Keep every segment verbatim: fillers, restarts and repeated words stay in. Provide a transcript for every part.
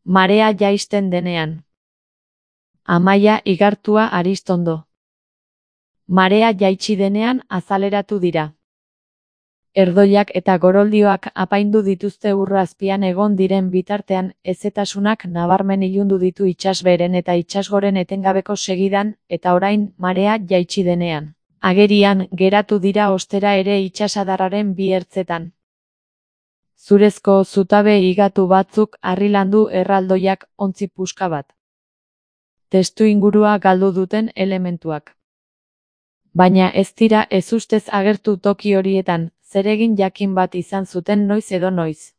Marea jaisten denean. Amaia Igartua Aristondo. Marea jaitsi denean azaleratu dira. Erdoilak eta goroldioak apaindu dituzte ur azpian egon diren bitartean, hezetasunak nabarmen ilundu ditu itsasbeheren eta itsasgoren etengabeko segidan, eta orain, marea jaitsi denean. Agerian, geratu dira ostera ere itsasadarraren bi ertzetan. Zurezko zutabe higatu batzuk harrilandu erraldoiak ontzi puska bat. Testu ingurua galdu duten elementuak. Baina ez dira ezustez agertu toki horietan, zeregin jakin bat izan zuten noiz edo noiz.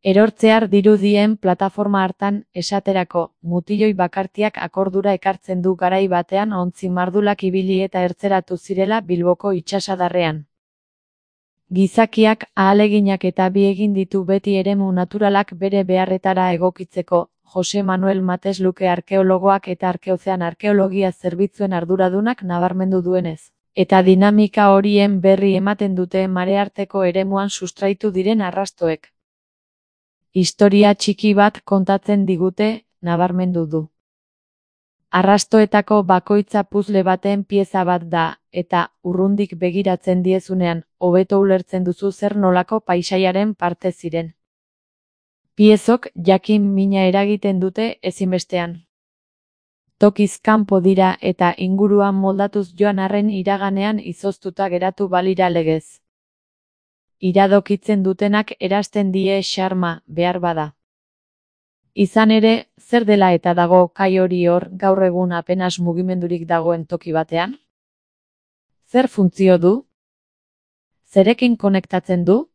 Erortzear dirudien plataforma hartan, esaterako, mutiloi bakartiak akordura ekartzen du garai batean ontzi mardulak ibili eta ertzeratu zirela Bilboko itsasadarrean. Gizakiak ahaleginak eta bi egin ditu beti eremu naturalak bere beharretara egokitzeko, Jose Manuel Mates Luke arkeologoak eta arkeozean arkeologia zerbitzuen arduradunak nabarmendu duenez. Eta dinamika horien berri ematen dute marearteko eremuan sustraitu diren arrastoek. Historia txiki bat kontatzen digute, nabarmendu du. Arrastoetako bakoitza puzle baten pieza bat da, eta, urrundik begiratzen diezunean, hobeto ulertzen duzu zer nolako paisaiaren parte ziren. Piezok jakin mina eragiten dute ezinbestean. Tokiz kanpo dira eta inguruan moldatuz joan arren iraganean izoztuta geratu balira legez. Iradokitzen dutenak erasten die xarma, behar bada. Izan ere, zer dela eta dago kai hori hor gaur egun apenas mugimendurik dagoen toki batean? Zer funtzio du? Zerekin konektatzen du?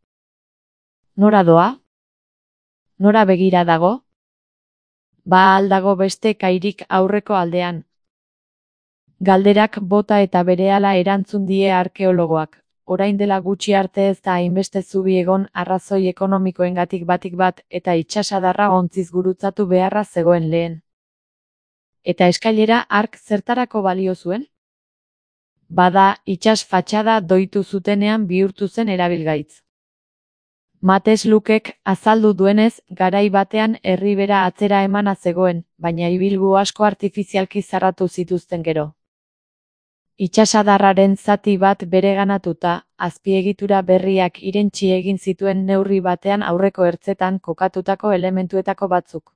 Nora doa? Nora begira dago? Ba al dago beste kairik aurreko aldean? Galderak bota eta berehala erantzun die arkeologoak. Orain dela gutxi arte ez da hainbeste zubi egon arrazoi ekonomikoengatik batik bat eta itsasadarra ontziz gurutzatu beharra zegoen lehen. Eta eskailera hark zertarako balio zuen? Bada, itsas fatxada doitu zutenean bihurtu zen erabilgaitz. Mates Lukek azaldu duenez, garai batean erribera atzera emana zegoen, baina ibilgu asko artifizialki zarratu zituzten gero. Itsasadarraren zati bat bereganatuta, azpiegitura berriak irentsi egin zituen neurri batean aurreko ertzetan kokatutako elementuetako batzuk.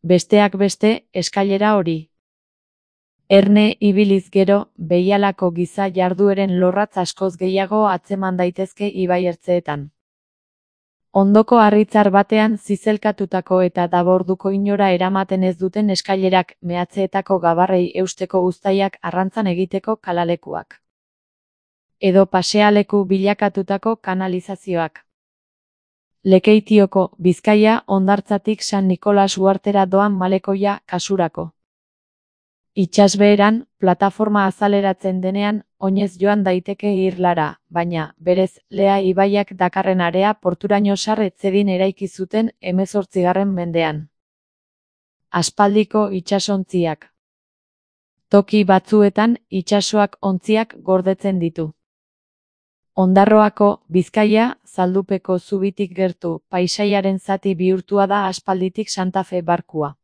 Besteak beste, eskailera hori. Erne ibiliz gero, behialako giza jardueren lorratz askoz gehiago atzeman daitezke ibai ertzeetan. Ondoko harritzar batean zizelkatutako eta daborduko inora eramaten ez duten eskailerak, mehatzeetako gabarrei eusteko uztaiak arrantzan egiteko kalalekuak. Edo pasealeku bilakatutako kanalizazioak. Lekeitioko, Bizkaia, Hondartzatik San Nikolas uhartera doan malekoia, kasurako. Itsasbeheran, plataforma azaleratzen denean, oinez joan daiteke irlara, baina, berez, Lea ibaiak dakarren area porturaino sar etzedin eraiki zuten hemezortzigarren mendean. Aspaldiko itsasontziak. Toki batzuetan, itsasoak ontziak gordetzen ditu. Ondarroako, Bizkaia, Zaldupeko zubitik gertu, paisaiaren zati bihurtua da aspalditik Santa Fe barkua.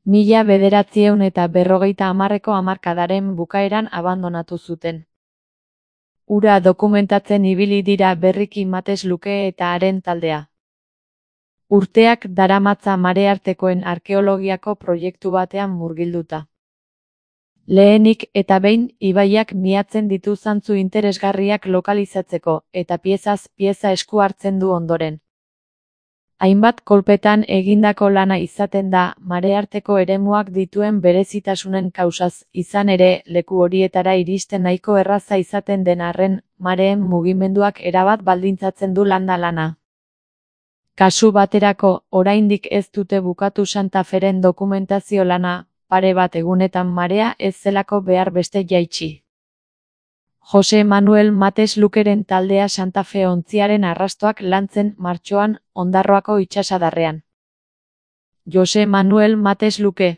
Mila bederatziehun eta berrogeita hamarreko hamarkadaren bukaeran abandonatu zuten. Ura dokumentatzen ibili dira berriki Mates Luke eta haren taldea. Urteak daramatza mareartekoen arkeologiako proiektu batean murgilduta. Lehenik eta behin ibaiak miatzen ditu zantzu interesgarriak lokalizatzeko, eta piezaz pieza esku hartzen du ondoren. Hainbat kolpetan egindako lana izaten da, marearteko eremuak dituen berezitasunen kausaz, izan ere, leku horietara iristen nahiko erraza izaten den arren, mareen mugimenduak erabat baldintzatzen du landa lana. Kasu baterako, oraindik ez dute bukatu Santa Feren dokumentazio lana, pare bat egunetan marea ez zelako behar beste jaitsi. Jose Manuel Mates Lukeren taldea Santa Fe ontziaren arrastoak lantzen martxoan, Ondarroako itsasadarrean. Jose Manuel Mates Luke.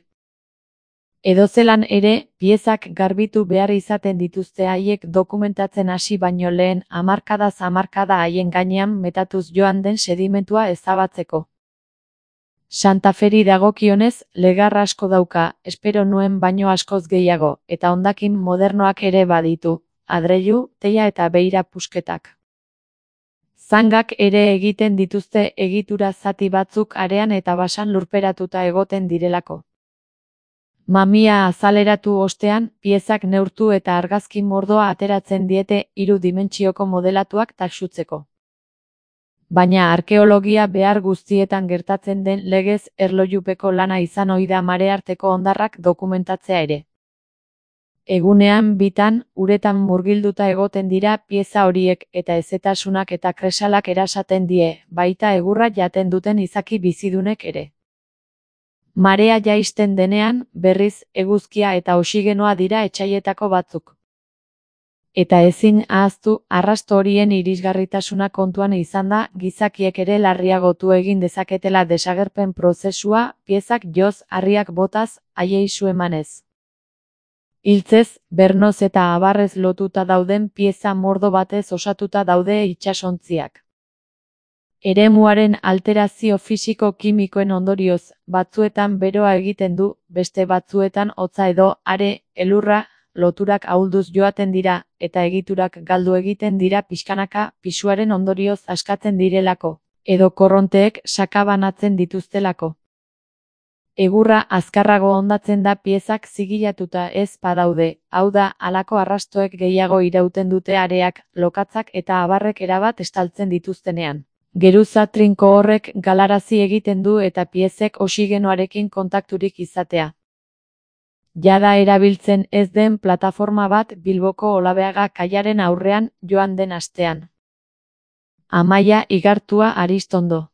Edozelan ere, piezak garbitu behar izaten dituzte haiek dokumentatzen hasi baino lehen hamarkadaz hamarkada haien gainean metatuz joan den sedimentua ezabatzeko. Santa Feri dagokionez, legar asko dauka, espero nuen baino askoz gehiago, eta hondakin modernoak ere baditu, adreilu, teila eta beira pusketak. Zangak ere egiten dituzte egitura zati batzuk arean eta basan lurperatuta egoten direlako. Mamia azaleratu ostean, piezak neurtu eta argazki mordoa ateratzen diete hiru dimentsioko modelatuak taxutzeko. Baina arkeologia behar guztietan gertatzen den legez erlojupeko lana izan ohi da marearteko hondarrak dokumentatzea ere. Egunean bitan, uretan murgilduta egoten dira pieza horiek eta hezetasunak eta kresalak erasaten die, baita egurra jaten duten izaki bizidunek ere. Marea jaisten denean, berriz, eguzkia eta oxigenoa dira etsaietako batzuk. Eta ezin ahaztu, arrasto horien irisgarritasuna kontuan izanda, gizakiek ere larriagotu egin dezaketela desagerpen prozesua, piezak joz, harriak botaz, haiei su emanez. Hiltzez, bernoz eta abarrez lotuta dauden pieza mordo batez osatuta daude itsasontziak. Eremuaren alterazio fisiko-kimikoen ondorioz, batzuetan beroa egiten du, beste batzuetan hotza edo, are, elurra, loturak ahulduz joaten dira, eta egiturak galdu egiten dira pixkanaka, pisuaren ondorioz askatzen direlako, edo korronteek sakabanatzen dituztelako. Egurra azkarrago hondatzen da piezak zigilatuta ez badaude, hau da, halako arrastoek gehiago irauten dute areak, lokatzak eta abarrek erabat estaltzen dituztenean. Geruza trinko horrek galarazi egiten du eta piezek oxigenoarekin kontakturik izatea. Jada erabiltzen ez den plataforma bat Bilboko Olabeaga kaiaren aurrean joan den astean. Amaia Igartua Aristondo.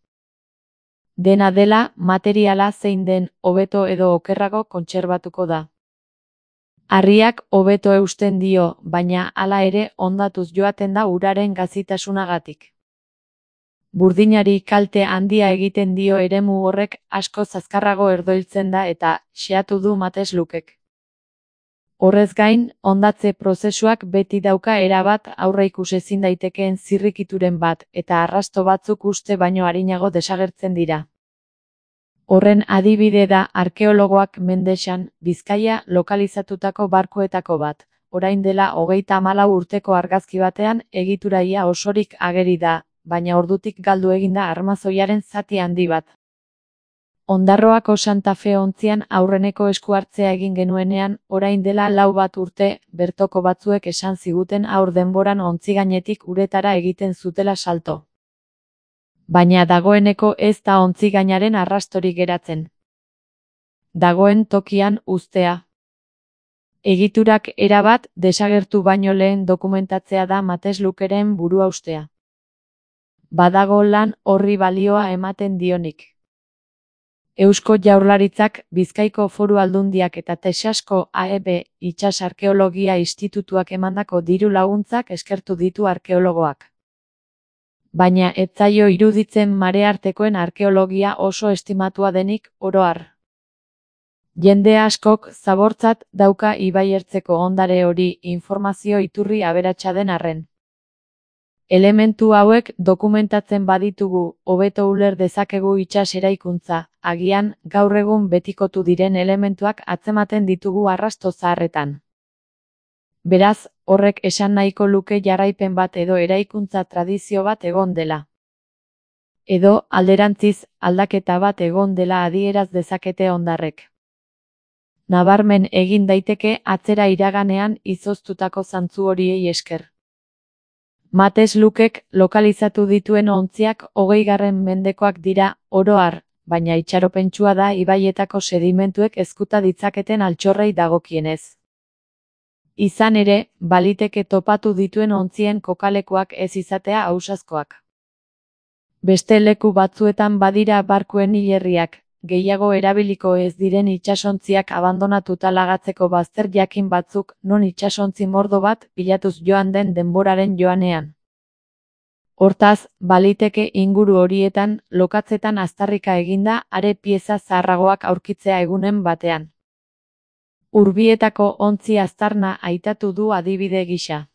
Dena dela, materiala zein den, hobeto edo okerrago kontserbatuko da. Harriak hobeto eusten dio, baina hala ere hondatuz joaten da uraren gazitasunagatik. Burdinari kalte handia egiten dio eremu horrek askoz azkarrago erdoiltzen da eta xeatu du Mateslukek. Horrez gain, hondatze prozesuak beti dauka erabat aurreikus ezin daitekeen zirrikituren bat eta arrasto batzuk uste baino arinago desagertzen dira. Horren adibide da arkeologoak Mendesan, Bizkaia lokalizatutako barkuetako bat, orain dela hogeita hamalau urteko argazki batean egituraia osorik ageri da, baina ordutik galdu egin da armazoiaren zati handi bat. Ondarroako Santa Fe ontzian aurreneko eskuhartzea egin genuenean, orain dela lau bat urte, bertoko batzuek esan ziguten aur denboran ontzi gainetik uretara egiten zutela salto. Baina dagoeneko ez da ontzi gainaren arrastorik geratzen. Dagoen tokian uztea. Egiturak erabat desagertu baino lehen dokumentatzea da Mateslukeren buruhaustea. Badago lan horri balioa ematen dionik. Eusko Jaurlaritzak, Bizkaiko Foru Aldundiak eta Texasko A E B Itsas Arkeologia Institutuak emandako diru laguntzak eskertu ditu arkeologoak. Baina ez zaio iruditzen mareartekoen arkeologia oso estimatua denik, oro har. Jende askok zabortzat dauka ibaiertzeko ondare hori informazio iturri aberatsa den arren. Elementu hauek dokumentatzen baditugu, hobeto uler dezakegu itsas eraikuntza, agian, gaur egun betikotu diren elementuak atzematen ditugu arrasto zaharretan. Beraz, horrek esan nahiko luke jarraipen bat edo eraikuntza tradizio bat egon dela. Edo, alderantziz, aldaketa bat egon dela adieraz dezakete hondarrek. Nabarmen egin daiteke atzera iraganean izoztutako zantzu horiei esker. Mateslukek lokalizatu dituen ontziak hogeigarren mendekoak dira, oro har, baina itxaropentsua da ibaietako sedimentuek ezkuta ditzaketen altxorrei dagokienez. Izan ere, baliteke topatu dituen ontzien kokalekuak ez izatea ausazkoak. Beste leku batzuetan badira barkuen hilerriak, gehiago erabiliko ez diren itsasontziak abandonatuta lagatzeko bazter jakin batzuk non itsasontzi mordo bat bilatuz joan den denboraren joanean. Hortaz, baliteke inguru horietan, lokatzetan aztarrika eginda are pieza zaharragoak aurkitzea egunen batean. Urbietako ontzi aztarna aitatu du adibide gisa.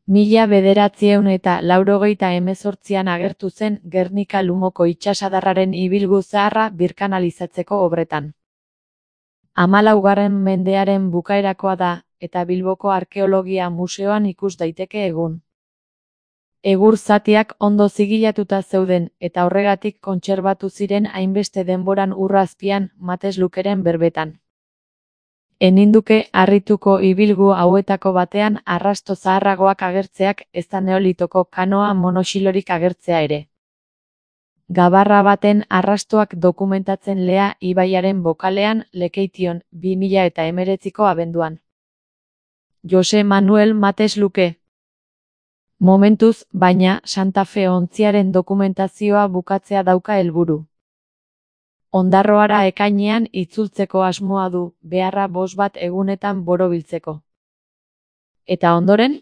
Mila bederatziehun eta laurogeita hemezortzian agertu zen Gernika Lumoko itsasadarraren ibilgu zaharra birkanalizatzeko obretan. Hamalaugarren mendearen bukaerakoa da, eta Bilboko Arkeologia Museoan ikus daiteke egun. Egur zatiak ondo zigilatuta zeuden, eta horregatik kontserbatu ziren hainbeste denboran ur azpian, Mateslukeren berbetan. Eninduke harrituko ibilgu hauetako batean arrasto zaharragoak agertzeak ezta neolitoko kanoa monoxilorik agertzea ere. Gabarra baten arrastoak dokumentatzen Lea ibaiaren bokalean Lekeition bi mila eta hemeretziko abenduan. Jose Manuel Matesluke. Momentuz, baina, Santa Fe ontziaren dokumentazioa bukatzea dauka helburu. Ondarroara ekainean itzultzeko asmoa du, beharra bost bat egunetan borobiltzeko. Eta ondoren?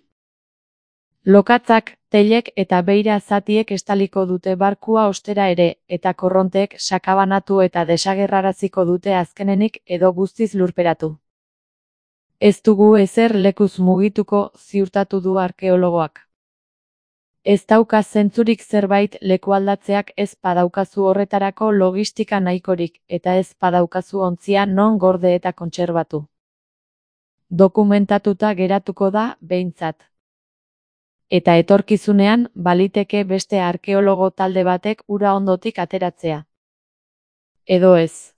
Lokatzak, teilek eta beira zatiek estaliko dute barkua ostera ere, eta korronteek sakabanatu eta desagerraraziko dute azkenenik edo guztiz lurperatu. Ez dugu ezer lekuz mugituko, ziurtatu du arkeologoak. Ez dauka zentzurik zerbait lekualdatzeak ez padaukazu horretarako logistika nahikorik, eta ez padaukazu ontzia non gorde eta kontserbatu. Dokumentatuta geratuko da, behintzat. Eta etorkizunean, baliteke beste arkeologo talde batek ura ondotik ateratzea. Edo ez.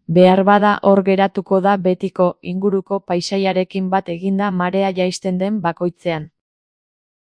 Behar bada hor geratuko da betiko inguruko paisaiarekin bat eginda marea jaisten den bakoitzean.